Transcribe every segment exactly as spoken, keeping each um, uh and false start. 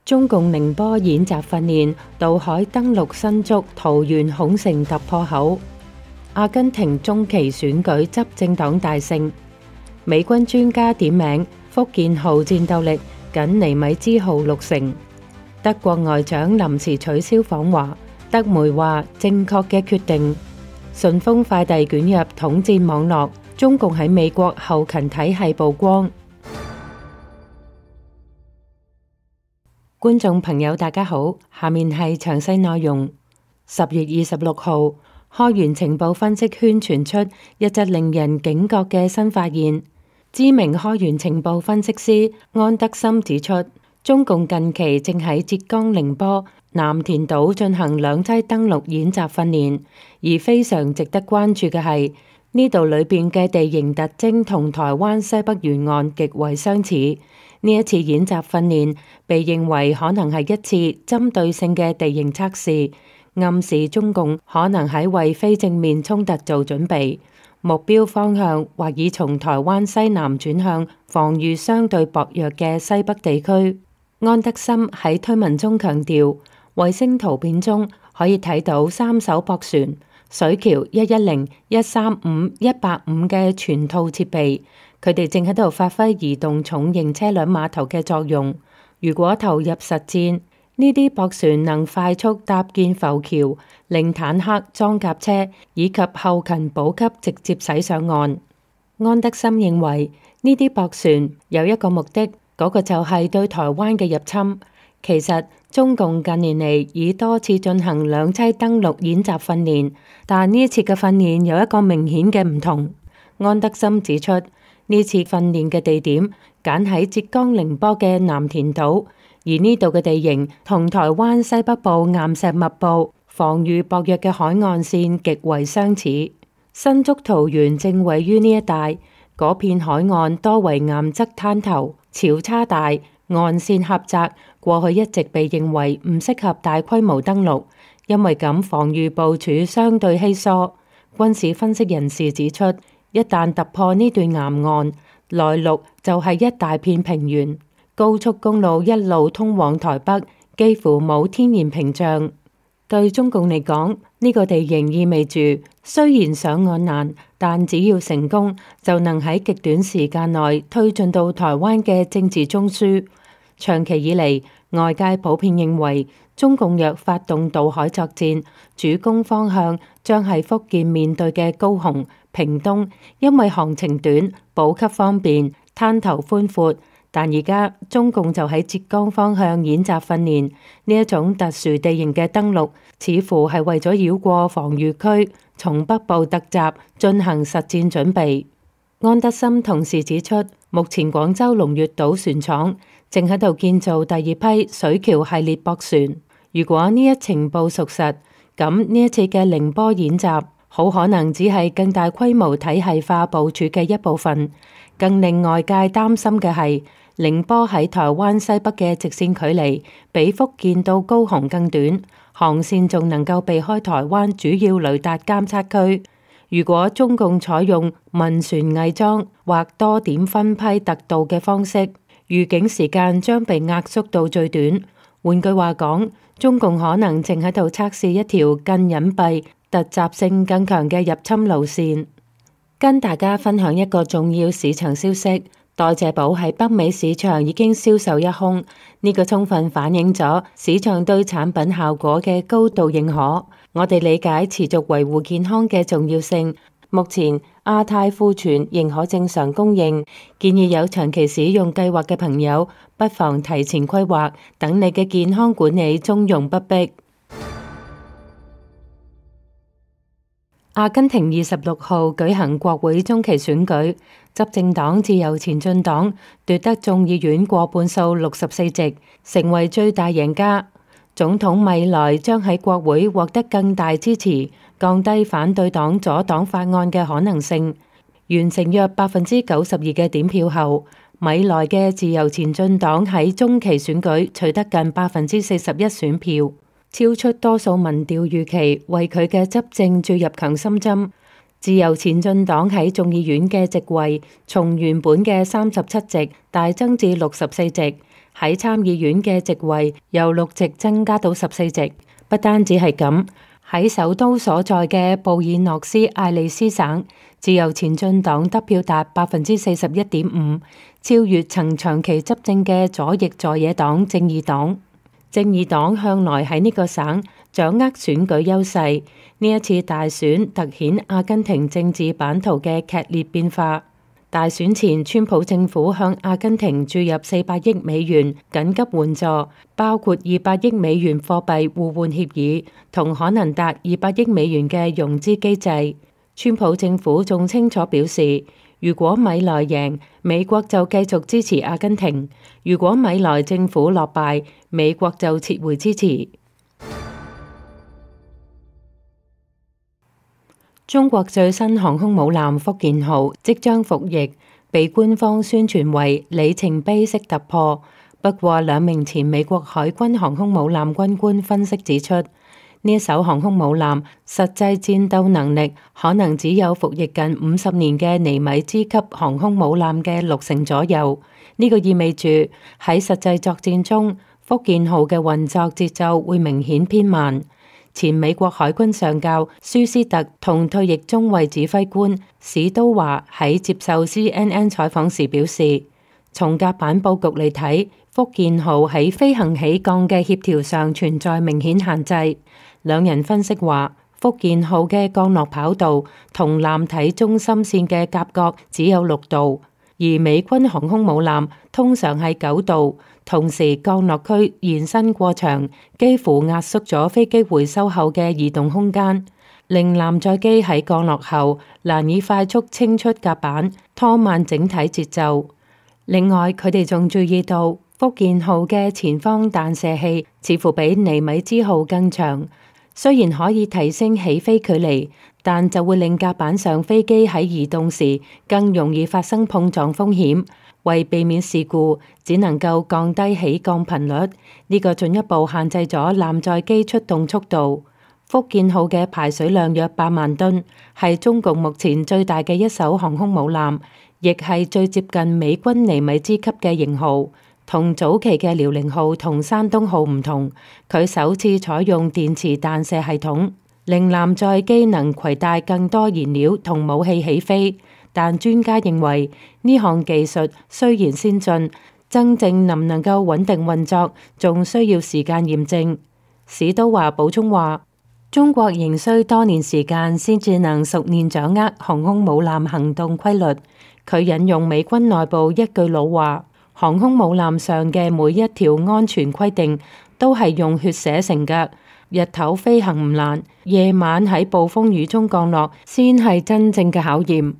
中共寧波演習訓練，渡海登陸新竹桃園孔城突破口。阿根廷中期選舉執政黨大勝。美軍專家點名福建號戰鬥力僅尼米茲號六成。德國外長臨時取消訪華，德媒話正確嘅決定。順豐快遞捲入統戰網絡，中共喺美國後勤體系曝光。觀眾朋友大家好，下面係詳細內容。十月二十六號，開源情報分析圈傳出一則令人警覺嘅新發現。知名開源情報分析師安德森指出，中共近期正喺浙江寧波、南田島進行兩棲登陸演習訓練，而非常值得關注嘅係呢度裏邊嘅地形特徵同台灣西北沿岸極為相似。呢一次演習訓練被認為可能係一次針對性嘅地形測試，暗示中共可能喺為非正面衝突做準備，目標方向或已從台灣西南轉向防禦相對薄弱嘅西北地區。安德森喺推文中強調，衛星圖片中可以睇到三艘駁船、水橋一一零、一三五、一八五嘅全套設備，佢哋正喺度發揮移動重型車輛碼頭嘅作用。如果投入實戰，呢啲駁船能快速搭建浮橋，令坦克、裝甲車以及後勤補給直接駛上岸。安德森認為呢啲駁船有一個目的，嗰個就係對台灣嘅入侵。其實中共近年嚟已多次進行兩棲登陸演習訓練，但呢一次嘅訓練有一個明顯嘅唔同。安德森指出，呢次訓練嘅地點揀喺浙江寧波嘅南田島，而呢度嘅地形同台灣西北部岩石密布、防禦薄弱嘅海岸線極為相似。新竹桃園正位於呢一帶，嗰片海岸多為岩側灘頭，潮差大，岸線狹窄，過去一直被認為唔適合大規模登陸，因為咁防禦部署相對稀疏。軍事分析人士指出，一旦突破呢段岩岸，來陸就係一大片平原，高速公路一路通往台北，幾乎冇天然屏障。對中共嚟講，呢個地形意味住雖然上岸難，但只要成功，就能喺極短時間內推進到台灣嘅政治中樞。長期以嚟，外界普遍認為中共若發動渡海作戰，主攻方向將係福建面對嘅高雄、屏東，因為航程短、補給方便、灘頭寬闊。但而家中共就喺浙江方向演習訓練，呢一種特殊地形嘅登陸，似乎係為咗繞過防禦區，從北部突襲進行實戰準備。安德森同時指出，目前廣州龍悅島船廠正喺度建造第二批水橋系列駁船。如果呢一情報屬實，咁呢一次嘅寧波演習好可能只係更大規模體系化部署嘅一部分。更令外界擔心嘅係，寧波喺台灣西北嘅直線距離比福建到高雄更短，航線仲能夠避開台灣主要雷達監測區。如果中共採用民船偽裝或多點分批特導嘅方式，預警時間將被壓縮到最短。換句話講，中共可能正喺度測試一條更隱蔽、突襲性更強嘅入侵路線。跟大家分享一個重要市場消息，代謝寶喺北美市場已經銷售一空，呢個充分反映咗市場對產品效果嘅高度認可。我哋理解持續維護健康嘅重要性。目前亞太庫存仍可正常供應，建議有長期使用計劃嘅朋友不妨提前規劃，等你嘅健康管理從容不迫。阿根廷二十六號舉行國會中期選舉，執政黨自由前進黨奪得眾議院過半數六十四席，成為最大贏家。總統米萊將喺國會獲得更大支持，降低反對黨阻擋法案嘅可能性。完成約百分之九十二嘅點票後，米萊嘅自由前進黨喺中期選舉取得近百分之四十一選票，超出多數民調預期，為佢嘅執政注入強心針。自由前進黨喺眾議院嘅席位從原本嘅三十七席大增至六十四席，喺參議院嘅席位由六席增加到十四席。不單止係咁，喺首都所在嘅布爾諾斯艾利斯省，自由前進黨得票達百分之四十一點五，超越曾長期執政嘅左翼在野黨正義黨。正義黨向來喺呢個省掌握選舉優勢，呢一次大選凸顯阿根廷政治版圖嘅劇烈變化。大選前，川普政府向阿根廷注入四百億美元緊急援助，包括二百億美元貨幣互換協議同可能達二百億美元嘅融資機制。川普政府仲清楚表示，如果米萊贏，美國就繼續支持阿根廷；如果米萊政府落敗，美國就撤回支持。中國最新航空母艦福建號即將服役，被官方宣傳為里程碑式突破。不過，兩名前美國海軍航空母艦軍官分析指出，呢一艘航空母艦實際戰鬥能力可能只有服役近五十年嘅尼米茲級航空母艦嘅六成左右。呢、這個意味住喺實際作戰中，福建號嘅運作節奏會明顯偏慢。前美國海軍上校舒斯特同退役中尉指揮官史都華喺接受 C N N 採訪時表示，從甲板佈局嚟睇，福建號喺飛行起降嘅協調上存在明顯限制。兩人分析話，福建號嘅降落跑道同艦體中心線嘅夾角只有六度，而美軍航空母艦通常係九度。同時，降落區延伸過長，幾乎壓縮咗飛機回收後嘅移動空間，令艦載機喺降落後難以快速清出甲板，拖慢整體節奏。另外，佢哋仲注意到福建號嘅前方彈射器似乎比尼米茲號更長，雖然可以提升起飛距離，但就會令甲板上飛機喺移動時更容易發生碰撞風險。為避免事故，只能夠降低起降頻率，呢個進一步限制咗艦載機出動速度。福建號嘅排水量約八萬噸，係中共目前最大嘅一艘航空母艦，亦係最接近美軍尼米茲級嘅型號。同早期嘅遼寧號同山東號唔同，佢首次採用電磁彈射系統，令艦載機能攜帶更多燃料同武器起飛。但專家認為呢項技術雖然先進，真正能唔能夠穩定運作，仲需要時間驗證。史都華補充話，中國仍需多年時間先至能熟練掌握航空母艦行動規律。佢引用美軍內部一句老話，航空母艦上嘅每一條安全規定都係用血寫成㗎。日頭飛行唔難，夜晚喺暴風雨中降落先係真正嘅考驗。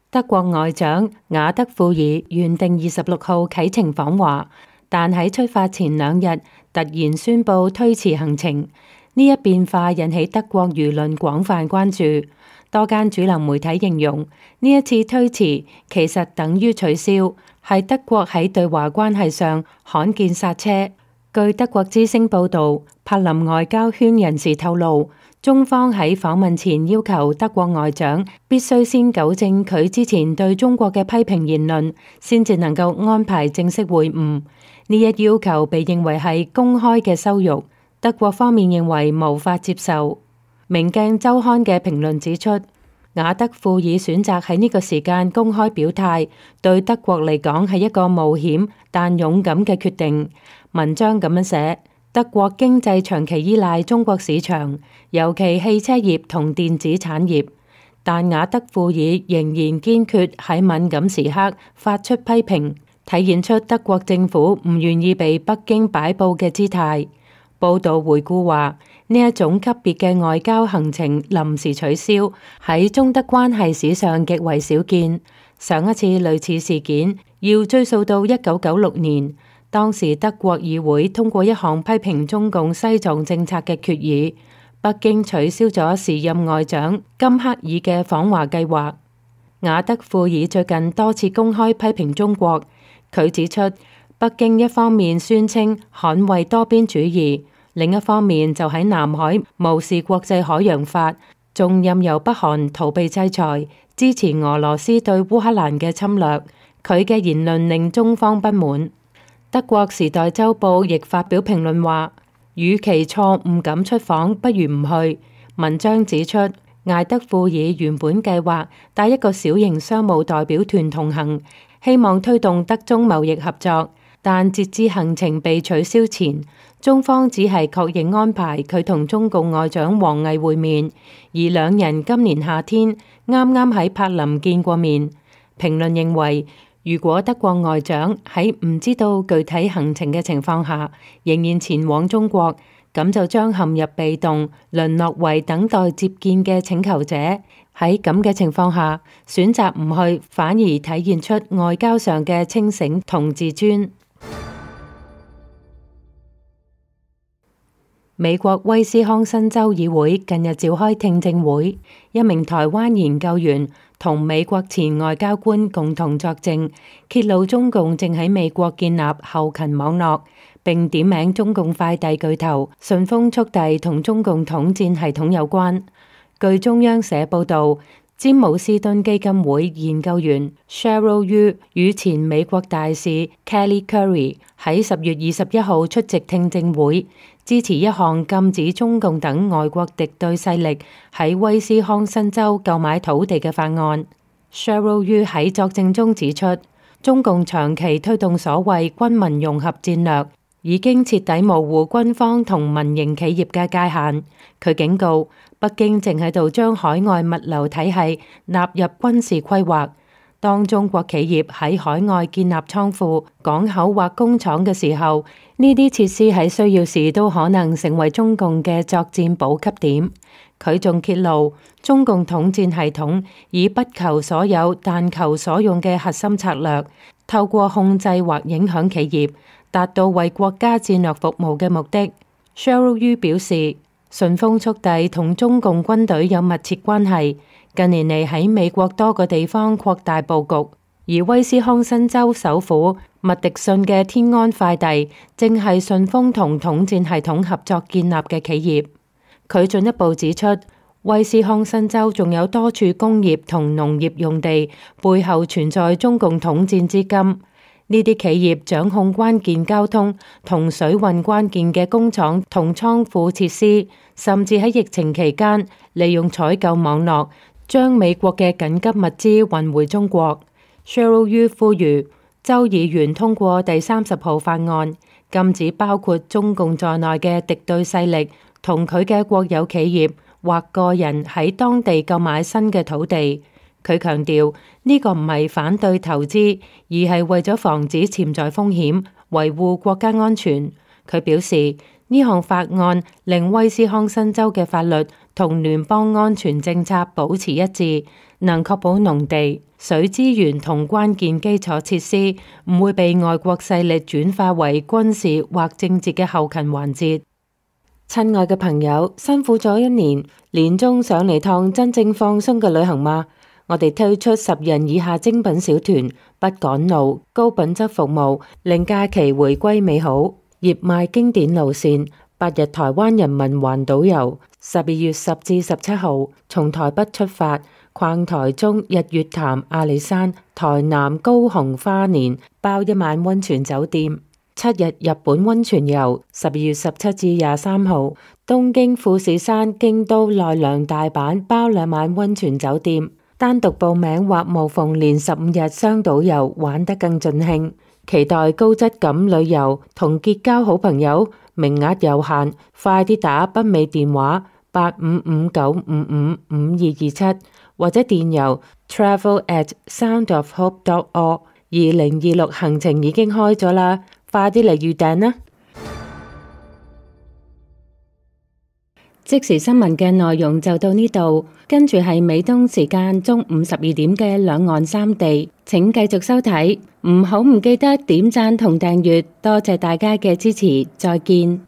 德國外長雅德庫爾原定二十六號啟程訪華，但喺出發前兩日突然宣布推遲行程。呢一變化引起德國輿論廣泛關注。多間主流媒體形容呢一次推遲其實等於取消，係德國喺對華關係上罕見剎車。據德國之聲報道，柏林外交圈人士透露，中方喺訪問前要求德國外長必須先糾正佢之前對中國嘅批評言論，先至能夠安排正式會晤。呢一要求被認為係公開嘅羞辱，德國方面認為無法接受。明鏡週刊嘅評論指出，雅德庫爾選擇喺呢個時間公開表態，對德國嚟講係一個冒險但勇敢嘅決定。文章咁樣寫，德國經濟長期依賴中國市場，尤其汽車業同電子產業，但雅德庫爾仍然堅決喺敏感時刻發出批評，體現出德國政府唔願意被北京擺佈嘅姿態。報道回顧話，呢一種級別嘅外交行程臨時取消，喺中德關係史上極為少見。上一次類似事件要追溯到一九九六年，當時德國議會通過一項批評中共西藏政策嘅決議，北京取消咗時任外長金克爾嘅訪華計劃。雅德庫爾最近多次公開批評中國，佢指出，北京一方面宣稱捍衛多邊主義，另一方面就喺南海無視國際海洋法，仲任由北韓逃避制裁，支持俄羅斯對烏克蘭嘅侵略。佢嘅言論令中方不滿。德國時代週報亦發表評論話，與其錯誤咁出訪，不如唔去。文章指出，艾德庫爾原本計劃帶一個小型商務代表團同行，希望推動德中貿易合作，但截至行程被取消前，中方只係確認安排佢同中共外長王毅會面，而兩人今年夏天啱啱喺柏林見過面。評論認為，如果德國外長喺唔知道具體行程嘅情況下，仍然前往中國，咁就將陷入被動，淪落為等待接見嘅請求者。喺咁嘅情況下，選擇唔去，反而體現出外交上嘅清醒同自尊。美國威斯康辛州議會近日召開聽證會，一名台灣研究員同美國前外交官共同作證，揭露中共正喺美國建立後勤網絡，並點名中共快遞巨頭順豐速遞同中共統戰系統有關。據中央社報道，詹姆斯敦基金會研究員 Cheryl Yu 與前美國大使 Kelly Currie 喺十月二十一號出席聽證會，支持一項禁止中共等外國敵對勢力喺威斯康辛州購買土地嘅法案。Cheryl Yu 喺作證中指出，中共長期推動所謂軍民融合戰略，已經徹底模糊軍方同民營企業嘅界限。佢警告，北京正喺度將海外物流體系納入軍事規劃。當中國企業喺海外建立倉庫、港口或工廠嘅時候，呢啲設施喺需要時都可能成為中共嘅作戰補給點。佢仲揭露，中共統戰系統以不求所有但求所用嘅核心策略，透過控制或影響企業，達到為國家戰略服務嘅目的。Cheryl Yu 表示，順豐速遞同中共軍隊有密切關係，近年嚟喺美國多個地方擴大佈局，而威斯康辛州首府麥迪遜嘅天安快遞正係順豐同統戰系統合作建立嘅企業。佢進一步指出，威斯康辛州仲有多處工業同農業用地背後存在中共統戰資金。呢啲企業掌控關鍵交通同水運關鍵嘅工廠同倉庫設施，甚至喺疫情期間利用採購網絡將美國嘅緊急物資運回中國。Cheryl Yu 呼籲州議員通過第三十號法案，禁止包括中共在內嘅敵對勢力同佢嘅國有企業或個人喺當地購買新嘅土地。佢強調呢個唔係反對投資，而係為咗防止潛在風險，維護國家安全。佢表示，呢項法案令威斯康辛州嘅法律同聯邦安全政策保持一致，能確保農地、水資源同關鍵基礎設施唔會被外國勢力轉化為軍事或政治嘅後勤環節。親愛嘅朋友，辛苦咗一年，年終上嚟趟真正放鬆嘅旅行嗎？我哋推出十人以下精品小團，不趕路，高品質服務，令假期回歸美好。熱賣經典路線，八日台灣人民環島遊，十二月十至十七號從台北出發，逛台中、日月潭、阿里山、台南、高雄、花蓮，包一晚溫泉酒店。七日日本溫泉遊，十二月十七至廿三號東京、富士山、京都、奈良、大阪，包兩晚溫泉酒店。單獨報名或無縫連十五日雙島遊，玩得更盡興。期待高質感旅遊同結交好朋友，名額有限，快啲打北美電話八五五九五五五二二七或者電郵 travel at soundofhope dot org。二零二六行程已經開咗啦，快啲嚟預訂啦！即時新聞嘅內容就到呢度，跟住係美東時間中午十二點嘅兩岸三地，請繼續收睇，唔好唔記得點讚同訂閱，多謝大家嘅支持，再見。